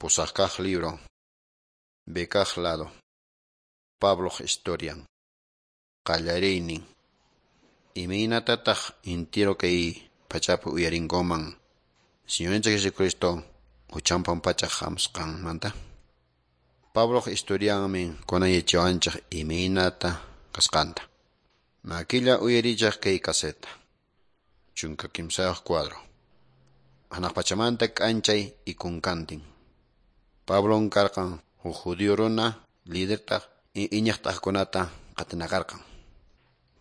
Pusaq libro. B kaq lado. Pabloq historian. Qallariynin. Imaynatataq intiro kay pachapi uyarinkuman Señorninchik Jesucristo huchan pampachaq hamusqanmanta? Pabloq historianmi kunan yachawanchik imaynata kasqanta. Makilla uyarichaq kay caseta. 13 cuadro. Hanaq pachamanta k'anchay ikunkantin. Pablon karqan huk judío runa lidertaq iñiqtaqkunata qatinaqarqan.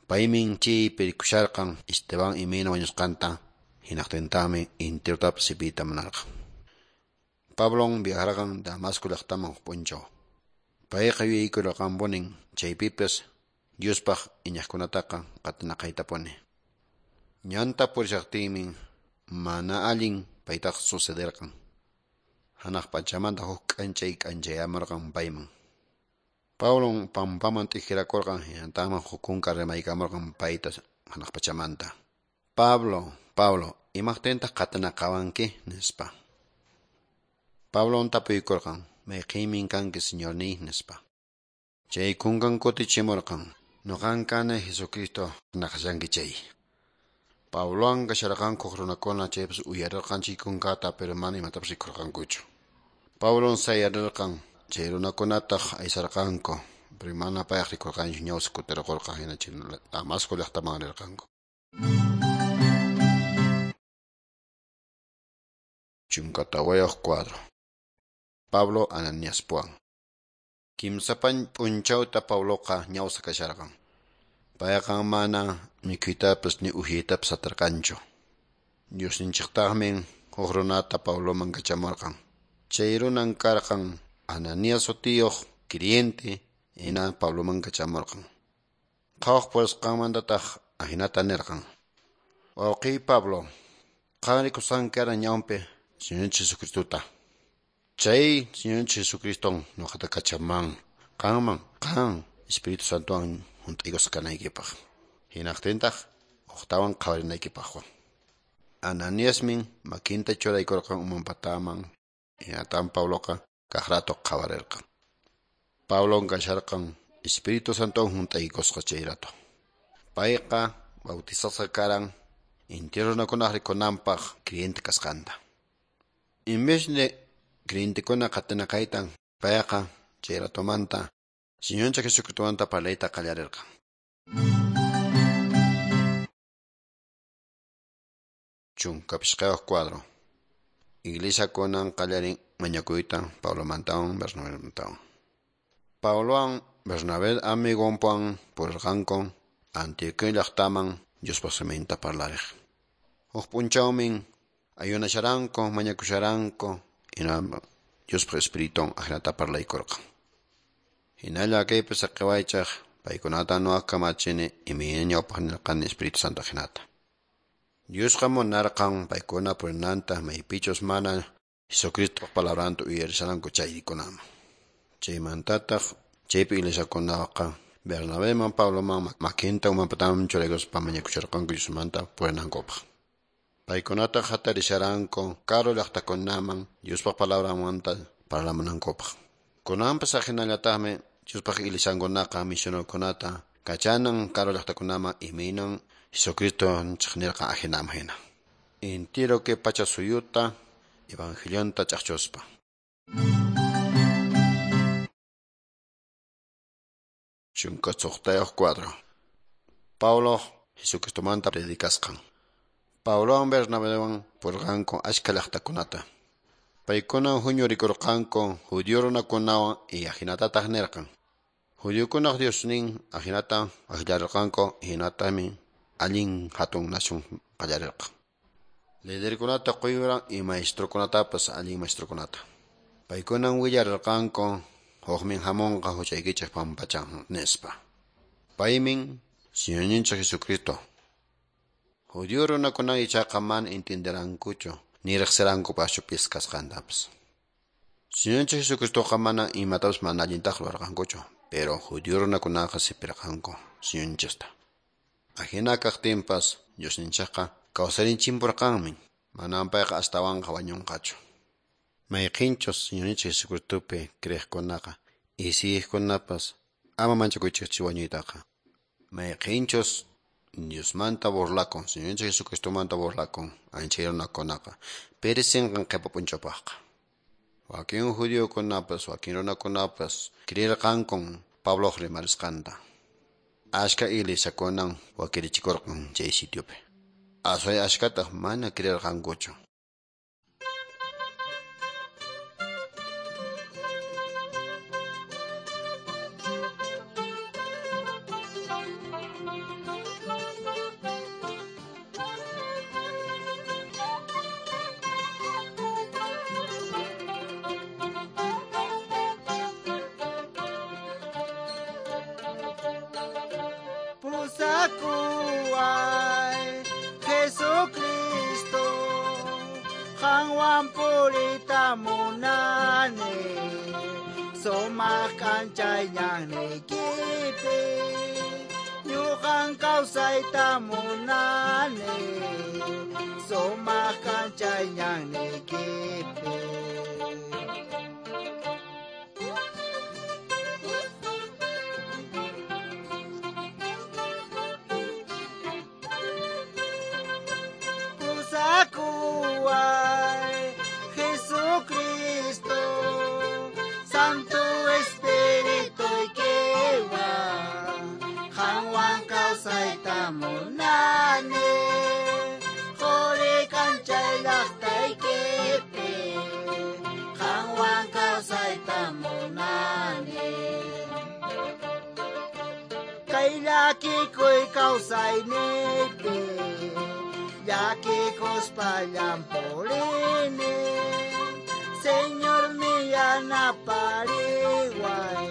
Paymin chaypi rikusharqan Esteban imayna wañusqanta hinaqtintaqmi intirotapas sipiyta munarqan. Pablon viajarqan Damasco llaqtaman huk p'unchaw. Payqa yuyaykurqanpunin chaypipas Diospaq iñiqkunataqa qatinaqaytapuni. Ñanta purishaqtinmi mana allin paytaqa sucederqan. Hanaq pachamanta huk k'anchay k'anchayamurqan payman. Pablon pampaman t'ikirakurqan hinataqmi huk kunka rimaykamurqan payta hanaq pachamanta. Pablo, Pablo, imaqtintaq qatinaqawanki? Nispa. Pablon tapuykurqan, mayqinmi kanki Señorniy? Nispa. Chay kunkan kutichimurqan, nuqan kani Jesucristo naqashanki chay. Pablowan kasharqanku huk runakuna chaypas uyarirqan chay kunkata pero mana imatapas rikurqankuchu. Pablon sayarirqan chay runakunataq aysarqanku, pero mana payaq rikurqanchu ñawsa kutirqurqan hina chay Damasco llaqtaman rirqanku. 14 cuadro. Pablo Ananiaspuwan. Kimsa p'unchawta Pabloqa ñawsa kasharqan. Payqa mana mikhuytapas ni uhyaytapas atirqanchu. Diosninchiktaqmi huk runata Pabloman kachamurqan. Chay runan karqan Ananías sutiyuq creyente hina Pabloman kachamurqan. Qhawaq purisqanmantataq ahinata nirqan: Wawqiy Pablo, qan rikusqanki karan ñawpi Señorninchik Jesucristota. Chay Señorninchik Jesucriston nuqata kachaman qanman qan Espíritu Santowan hunt'aykusqa kanaykipaq. Hinaqtintaq uqtawan qhawarinaykipaqwan. Ananiasmin makinta churaykurqan uman pataman hinatan Pabloqa kaq rato qhawarirqan. Pablon kasharqan Espíritu Santowan hunt'aykusqa chay rato. Payqa bautizasqa karan intiro runakunaq rikunanpaq creyente kasqanta. En vez de creyentekuna qatinaqaytan payqa chay ratomanta Señorninchik Jesucristomanta parlayta qallarirqan. 15 cuadro. Iglesia kunan qallarin mañakuyta Pablomantawan Bernabemantawan. Pablowan Bernabé amigonpuwan purirqanku Antioquía llaqtaman Diospaq siminta parlariq. Huk p'unchawmin ayunasharanku mañakusharanku hina Diospaq Espiritun ahinata parlaykurqan. Hinalla kaypi saqiwaychaq paykunata nuqa kamachini imayna ñawpaq nirqani Espíritu Santo hinata. Diosqa munarqan paykuna purinanta maypichus mana Jesucristoq palabranta uyarisharanku chaykunaman. Chaymantataq chaypi iglesiakunaqa Bernabeman Pabloman makinta uman pataman churaykuspa mañakusharqanku Diosmanta purinankupaq. Paykunataq hatarisharanku karu llaqtakunaman Diospaq palabranmanta parlamunankupaq. Kunanpas ahinallataqmi Diospaq iglesiankunaqa misionerokunata kachanan karu llaqtakunaman imaynan Jesucristo nirqan ahinaman hina. Intiro kay pacha suyuta evangelionta ch'aqchuspa. 16 cuadro. Pablo Jesucristomanta predicasqan. Pablowan Bernabewan purirqanku achka llaqtakunata. Paykuna huñurikurqanku judío runakunawan y ahinatataq nirqan: Judiokunaq Diosnin ahinata akllarirqanku hinatami allin hatun nación qallarirqan. Liderkunata quyuran y maestrokunatapas allin maestrokunata. Paykunan willarirqanku hukmin hamunqa huchaykichik pampachan nispa. Paymin Señorninchik Jesucristo. Judío runakuna ichaqa mana entenderankuchu ni riqsirankupaschu pis kasqantapas. Señorninchik Jesucristoqa mana imatapas mana allintaq rurarqankuchu, pero judío runakunaqa sipirqanku Señorninchikta. Ahina kaqtinpas Diosninchikqa kawsarinchimpurqanmi, manan payqa astawanqa wañunqachu. Mayqinchus Señorninchik Jesucristopi creeqkunaqa isiyqkunapas ama manchakuychikchu wañuytaqa. Mayqinchus Diosmanta burlakun, Señorninchik Jesucristomanta burlakun, anchay runakunaqa perecinqan qhipa p'unchawpaqqa. Wakin judiokunapas, wakin runakunapas creerqankun Pabloq rimarisqanta. Ashka iglesiakunan wakirichikurqan chay sitiopi. Asway ashkataq mana creerqankuchu. Pusakuway Jesucristo, qanwan puriyta munani, sumaq k'anchay ñanniykipi, ñuqan kawsayta munani, sumaq k'anchay ñanniykipi. Pusakuway Jesucristo, Santo Espirituykiwan, qanwan kawsayta munani, quri k'anchay llaqtaykipi, qanwan kawsayta munani. Kay llakikuy kawsayniypi, llakikuspa purini, Señor yanapariway,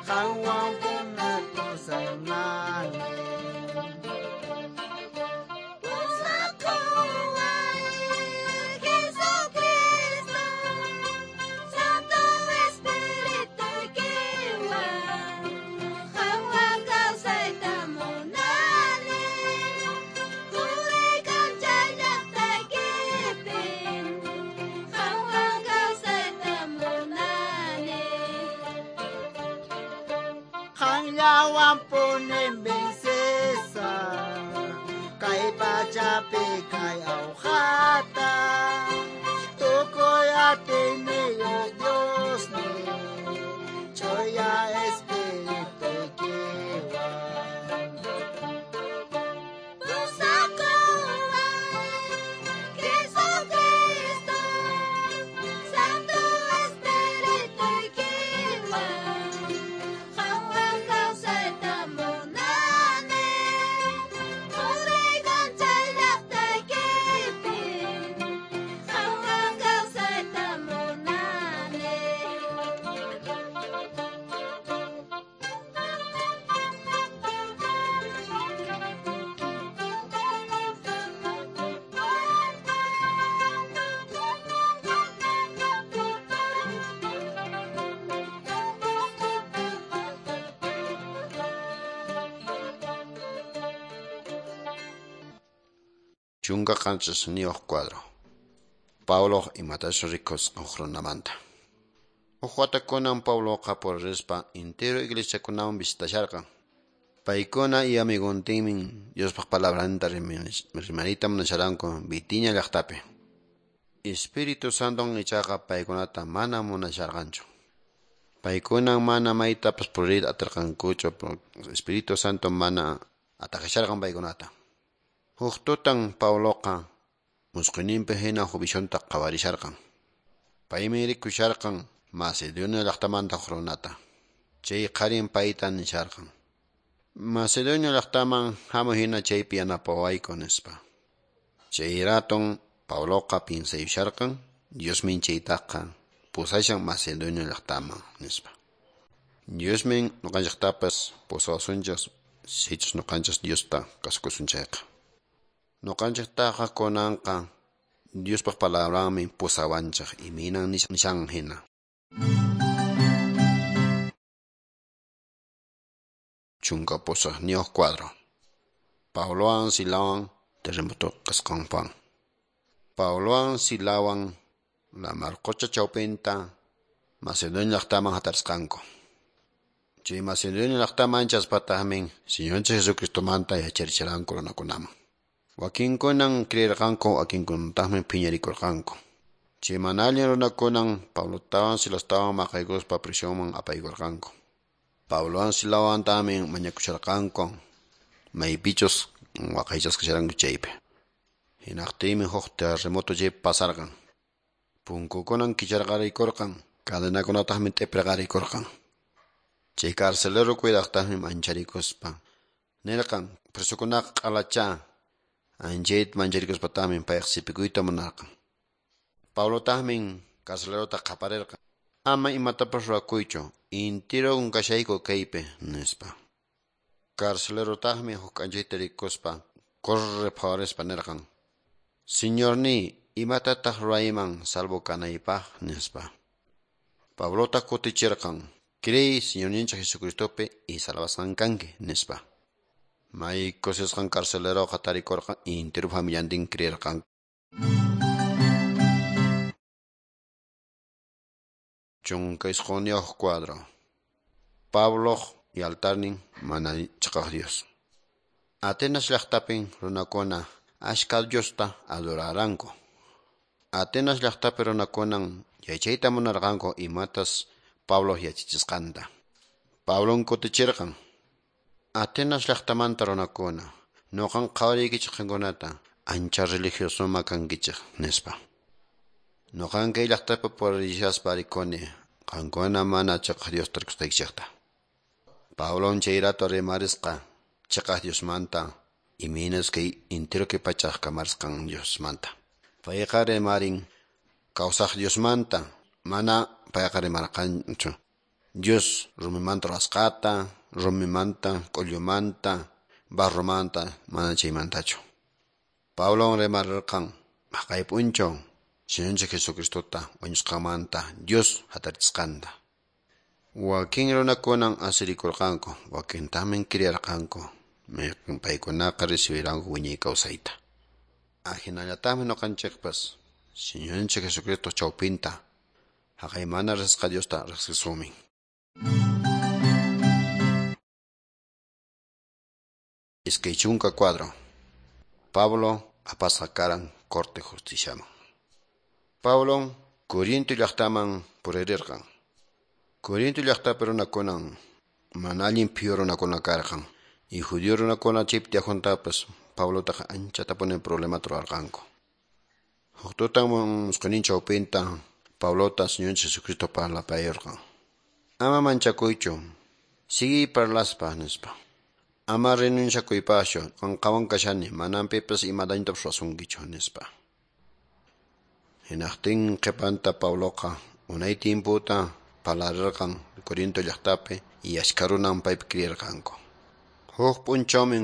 qanwan punakusaynani. Pusakuway Jesucristo, Santo Espirituykiwan, qanwan kawsayta munani, quri k'anchay llaqtaykipi, qanwan kawsayta munani. Qanllawan punin vencesa, kay pachapi kay awqata, tukuy atiyniyuq Diosniy, ch'uya Espirituykiwan. Pusakuway Jesucristo, Santo Espirituykiwan, qanwan kawsayta munani, quri k'anchay llaqtaykipi, qanwan kawsayta munani. Chunka qanchisniyuq cuadro. Pabloq imatachus rikusqan huk runamanta. Huk watakunan Pabloqa puririspa entero iglesiakunaman visitasharqan. Paykuna y amigontinmin Diospaq palabranta rimariyta munasharanku Bitinia llaqtapi. Espíritu Santon ichaqa paykunata mana munasharqanchu. Paykunan mana maytapas puriyta atirqankuchu, Espíritu Santo mana atakasharqan paykunata. Huk tutan Pabloqa musquyninpi hina huk visionta qhawarisharqan. Paymi rikusharqan Macedonia llaqtamanta huk runata. Chay qharin payta nisharqan: Macedonia llaqtaman hamuy hina chaypi yanapawayku nispa. Chay raton Pabloqa piensayusharqan Diosmin chaytaqa pusashan Macedonia llaqtaman nispa. Diosmin ñuqanchiktapas pusawasunchik sichus ñuqanchik Diosta kasukusun chayqa. Ñuqanchiktaqa kunanqa Diospaq palabranmi pusawanchik imaynan nishan hina. 18 cuadro. Pablowan Silawan terremoto kasqanpan. Pablowan Silawan lamar qucha chawpinta Macedonia llaqtaman hatarisqanku. Chay Macedonia llaqtaman chaspataqmi Señorninchik Jesucristomanta yacharichiranku runakunaman. Wakinkunan creerqanku, wakinkunataqmi phiñarikurqanku. Chay mana allin runakunan Pablotawan Silastawan maqaykuspa prisionman apaykurqanku. Pablowan Silawantaqmi mañakusharqanku maypichus waqaychasqa kasharanku chaypi. Hinaqtinmi huk terremoto chay pasarqan. Punkukunan kicharqarikurqan, cadenakunataqmi t'ipirqarikurqan. Chay carcelero cuidaqtaqmi mancharikuspa nirqan presokunaqa q'alacha. Anchayta mancharikuspataqmi payqa sipikuyta munarqan. Pablotaqmi carcelerota qaparirqan: "Ama imatapas ruwakuychu, intiron kashayku kaypi", nispa. Carcelerotaqmi huk k'anchayta rikuspa corre phawarispa nirqan: "Señorniy, imatataq ruwayman salvo kanaypaq?" nispa. Pablotaq kutichirqan: "Creey Señorninchik Jesucristopi y salvasqan kanki", nispa. May kusisqan carceleroqa tarikurqan intiru familiantin creerqan. 19 cuadro. Pablo y altarnin mana chiqaq Dios. Atenas llaqtapin runakuna ashka Diosta adoraranku. Atenas llaqtapi runakunan yachayta munarqanku imatas Pablo yachachisqanta. Pablon kutichirqan: "Atenas llaqtamanta runakuna, nuqan qhawariykichik qankunata, ancha religiosoma kankichik", nispa. "Nuqan kay llaqtapi purishaspa rikuni qankuna mana chiqaq Diosta rikusqaykichikta." Pablon chay rato rimarisqa chiqaq Diosmanta, imaynas kay intiro kay pachaq kamarisqan Diosmanta. Payqa rimarin kawsaq Diosmanta, mana payqa rimarqanchu Dios rumimanta ruwasqata, rumimanta, k'ullumanta, barromanta, mana chaymantachu. Pablon rimarirqan haqay p'unchaw Señorninchik Jesucristota wañusqanmanta Dios hatarichisqanta. Wakin runakunan asirikurqanku, wakintaqmi creerqanku, paykunaqa recibiranku wiñay kawsayta. Ahinallataqmi nuqanchikpas Señorninchik Jesucristo chawpinta haqay mana riqsisqa Diosta riqsisumin. 20 cuadro. Pablo apasqa karan corte justiciaman. Pablon Corinto llaqtaman puririrqan. Corinto llaqtapi runakunan mana allin phiyu runakuna karqan. Y judío runakuna chaypi tiyaqkunatapas Pablotaqa anchatapuni problemata ruwarqanku. Huk tutan musqhuynin chawpinta Pablota Señorninchik Jesucristo parlapayurqan: "Ama manchakuychu, siguiy parlaspa", nispa. "Ama renunciakuypaschu, qanqawan kashani, manan pipas ima dañotapas ruwasunkichu", nispa. Hinaqtin qhipanta Pabloqa unay tiemputa parlarirqan Corinto llaqtapi y ashka runan paypi creerqanku. Huk p'unchawmi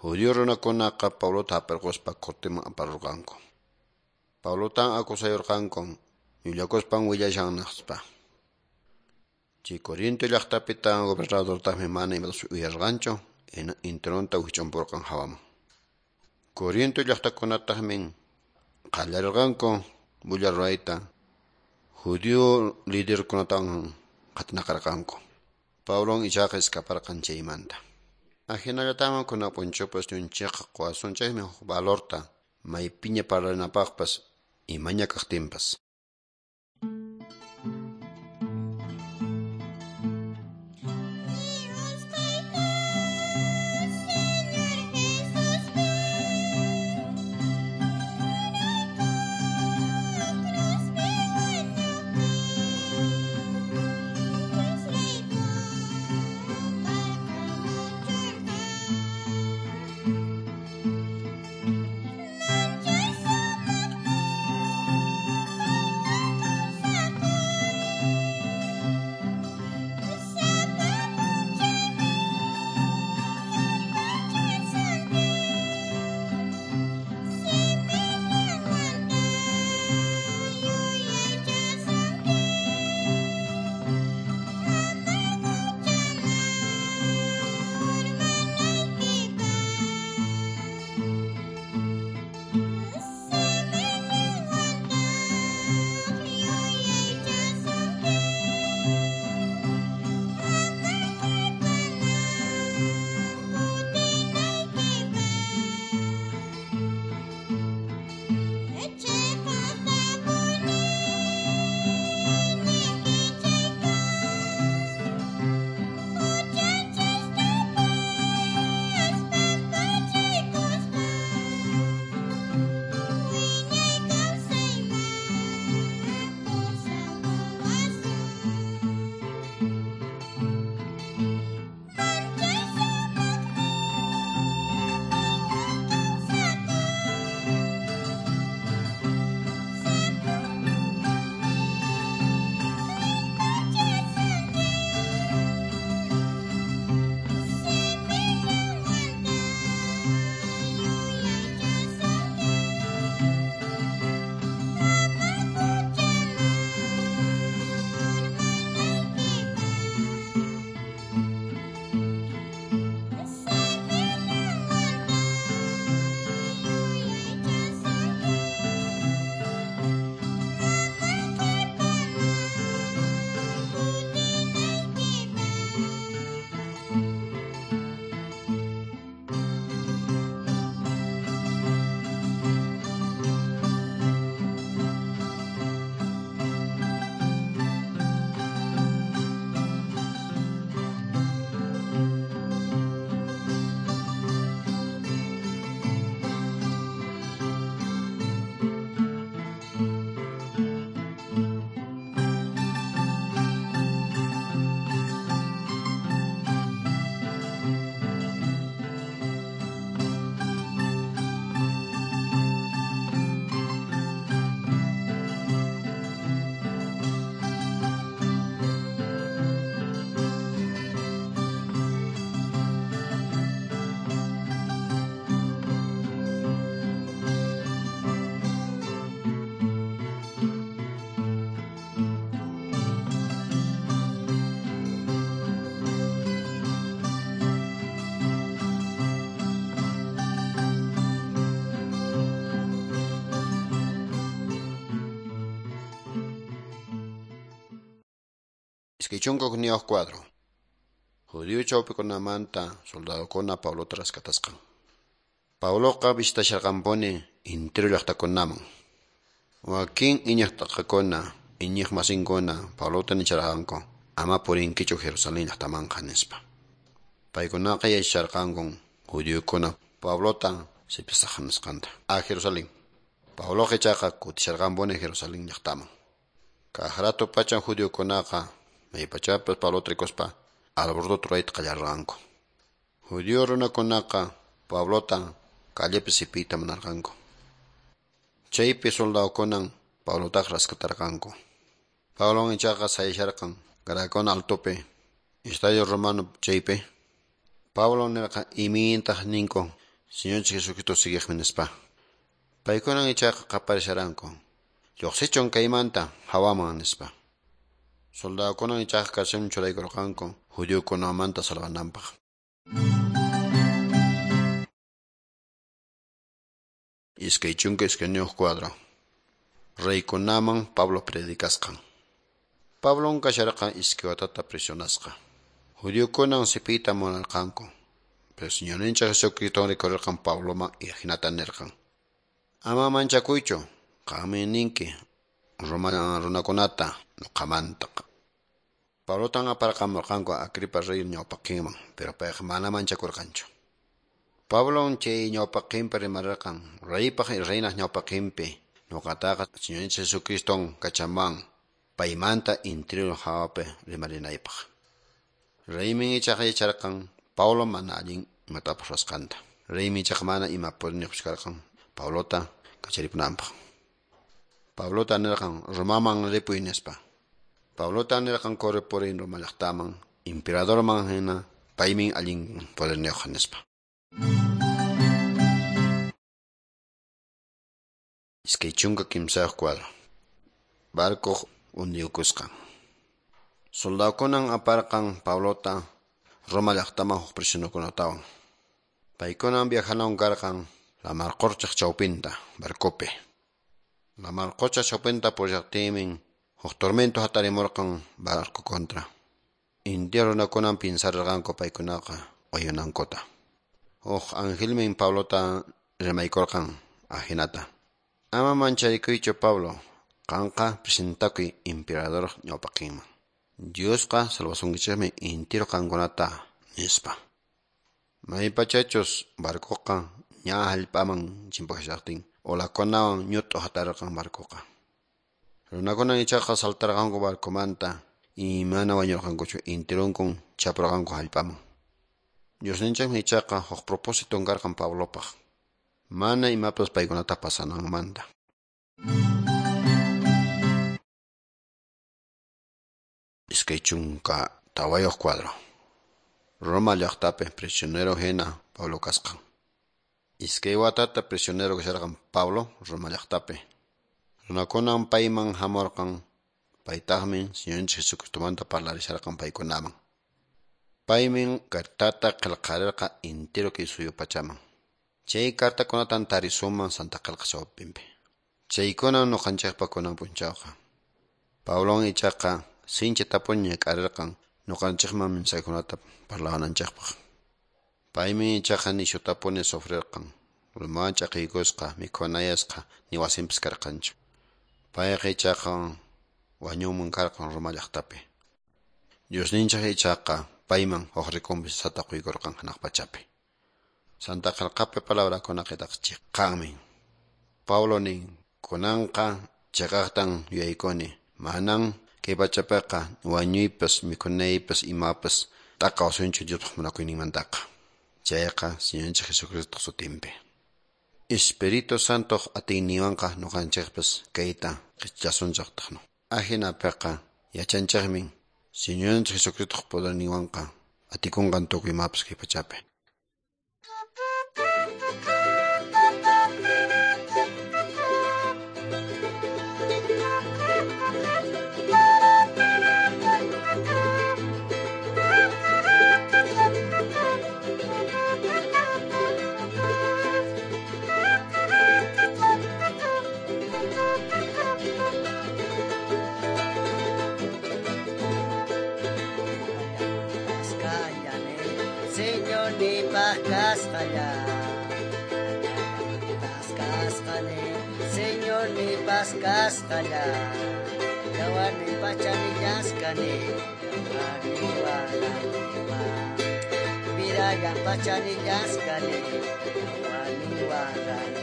judío runakunaqa Pablota hap'irquspa corteman aparurqanku. Pablotan acusayurqanku llullakuspan willashan nispa. Chay Corinto llaqtapita gobernadortaqmi mana imatapas uyarqanchu, intironta wich'umpurqan hawaman. Corinto llaqtakunataqmi qallarirqanku bulla ruwayta, judío liderkunatan qatinaqarqanku. Pablon ichaqa escaparqan chaymanta. Ahinallataqmi kunan p'unchawpas ñunchikqa quwasunchikmi huk valorta maypiña parlanapaqpas imaña kaqtinpas. Señor. 2 cuadro. Judío chawpikunamanta soldadokuna Pablota rescatasqan. Pabloqa visitasharqanpuni intiro llaqtakunaman. Wakin iñiq t'aqakuna, iñiq masinkuna Pablota nicharqanku ama purinkichu Jerusalén llaqtamanqa nispa. Paykunaqa yacharqankun judiokuna Pablota sipisaq nisqanta a Jerusalén. Pabloqa ichaqa kutisharqanpuni Jerusalén llaqtaman. Kaq rato pachan judiokunaqa maypachapas Pablota rikuspa alboroto rurayta qallarqanku. Judío runakunaqa Pablota callepi sipiyta munarqanku. Chaypi soldadokunan Pablotaqa rescatarqanku. Pablon ichaqa sayasharqan Graakuna altopi, estadio romano chaypi. Pablo nirqa imintaq ninku Señor Jesucristo siguiqmi nispa. Paykunan ichaqa qaparisharanku lluqsichun kaymanta hawaman nispa. Soldadokunan ichaqa carcelman churaykurqanku judiokunamanta salvananpaq. 22 cuadro. Reykunaman Pablo predicasqan. Pablon kasharqan iskay watata prisionasqa. Judiokunan sipiyta munarqanku. Pero Señorninchik Jesucristo rikurirqan Pabloman hinata nirqan: Ama manchakuychu, qanmi ninki Roma runakunata nuqamantaqa. Pablotan aparqamurqanku Agripa rey ñawpaqinman, pero payqa mana manchakurqanchu. Pablon chay ñawpaqinpi rimarirqan reypaq y reynaq ñawpaqinpi nuqataqa Señorninchik Jesucriston kachaman paymanta intiro hawapi rimarinaypaq. Reymin ichaqa yacharqan Pablo mana allin imatapas ruwasqanta. Reymi ichaqa mana ima poderniqpis karqan Pablota kacharipunanpaq. Pablota nirqan Romaman ripuy nispa. Pablota nirqan correpurin Roma llaqtaman, emperadorman hina paymin allin poderniyuq nispa. 23 cuadro. Barcoq hundiyukusqan. Soldadokunan aparqan Pablota Roma llaqtaman huk prisionerokunatawan. Paykunan viajanan karqan lamar quchaq chawpinta barcopi. Lamar qucha chawpinta purillaqtinmi huk tormento hatarimurqan barco contra. Indio runakunan pinsarqanku paykunaqa wañunankuta. Huk angelmi Pablota rimaykurqan ajinata: Ama mancharikuychu Pablo, qanqa presentakuy emperador ñawpaqinman. Diosqa salvasunkichikmi intiro qankunata nispa. Maypachachus barcoqa ña hallp'aman chimpashaqtin olakunawan ñut'u hatarqan barcoqa. Runakunan ichaqa saltarqanku barcomanta y mana wañurqankuchu intirunkun chapurqanku hallp'aman. Diosninchikmi ichaqa huk propósito karqan Pablopaq. Mana imapas paykunata pasananmanta. 24 cuadro. Roma llaqtapi prisionero hina Pablo kasqan. 2 watata prisionero kasharqan Pablo Roma llaqtapi. Runakunan payman hamurqan, paytaqmi Señorninchik Jesucristomanta parlarisharqan paykunaman. Paymin cartata qillqarirqa intiro kay suyu pachaman. Chay cartakunatan tarisuman Santa Qillqa chawpinpi. Chaykunan nuqanchikpa kunan p'unchawqa. Pablon ichaqa sinchi tapuni ñak'arirqan nuqanchikman mensajekunata parlawananchikpaq. Paymi ichaqa nishutapuni sufrirqan. Rumawan ch'aqiykusqa, mikhunayasqa, ni wasinpis karqanchu. Payqa ichaqa wañunman karqan Roma llaqtapi. Diosninchik ichaqa payman huk recompensata quykurqan hanaq pachapi. Santa Qillqapi palabrakunaqa chiqanmi. Pablo nin kunanqa chiqaqtan yuyaykuni manan kay pachapiqa wañuypas mikhunaypas imapas t'aqawasunchu Diospaq munakuyninmantaqa. Chayqa Señorninchik Jesucristo sutinpi. Espíritu Santoq atiyninwanqa nuqanchikpas kayta qichasunchiktaqnu. Ajinapiqa yachanchikmi Señorninchik Jesucristoq poderninwanqa atikunqan tukuy imapas kay pachapi. Señornipaq kasqalla, kasqani, Señornipaq kasqalla, yawarninpaq chanillasqani, yawarninwan rantiwan, vidallanpaq chanillasqani, yawarninwan rantiwan.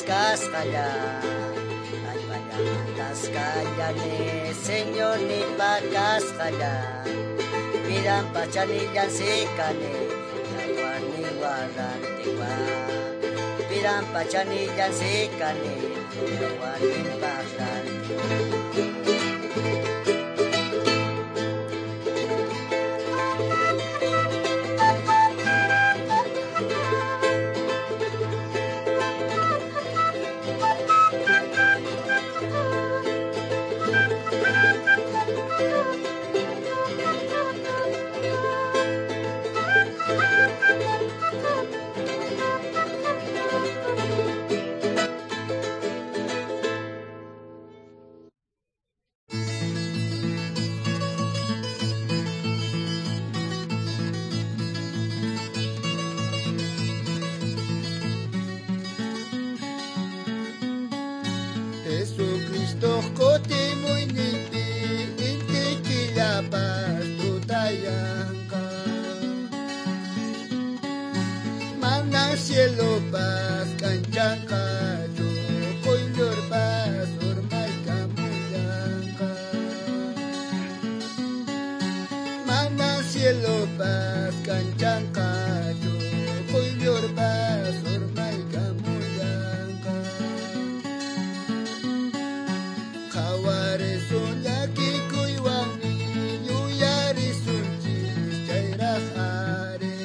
Kasqalla, allpallamantasqallani, Señornipaq kasqalla, vidanpaq chanillansikani, yawarninwan rantiwan, vidanpaq chanillansikani, yawarninpaq rantiwan. Jesucristo kutimuyninpi inti killapas tutayanqa, mana cielopas kanchanqachu, quyllurpas urmaykamullanqa, mana cielopas kanchanqachu, quyllurpas urmaykamullanqa. Qhawarisun llakikuywanmi yuyarisunchis chayraq ari,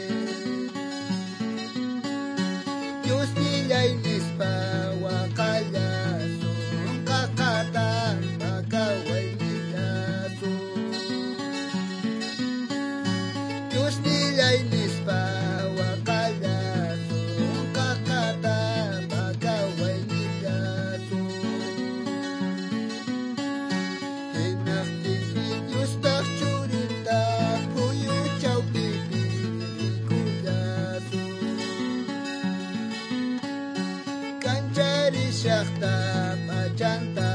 Diosnillay nispa waqallasun, qaqatan pakawaynillasun, Diosnillay nispa waqallasun, qaqatan pakawaynillasun. Hinaqtinmi Diospaq churinta phuyu chawpipi rikullasun, kancharishaqta p'achanta.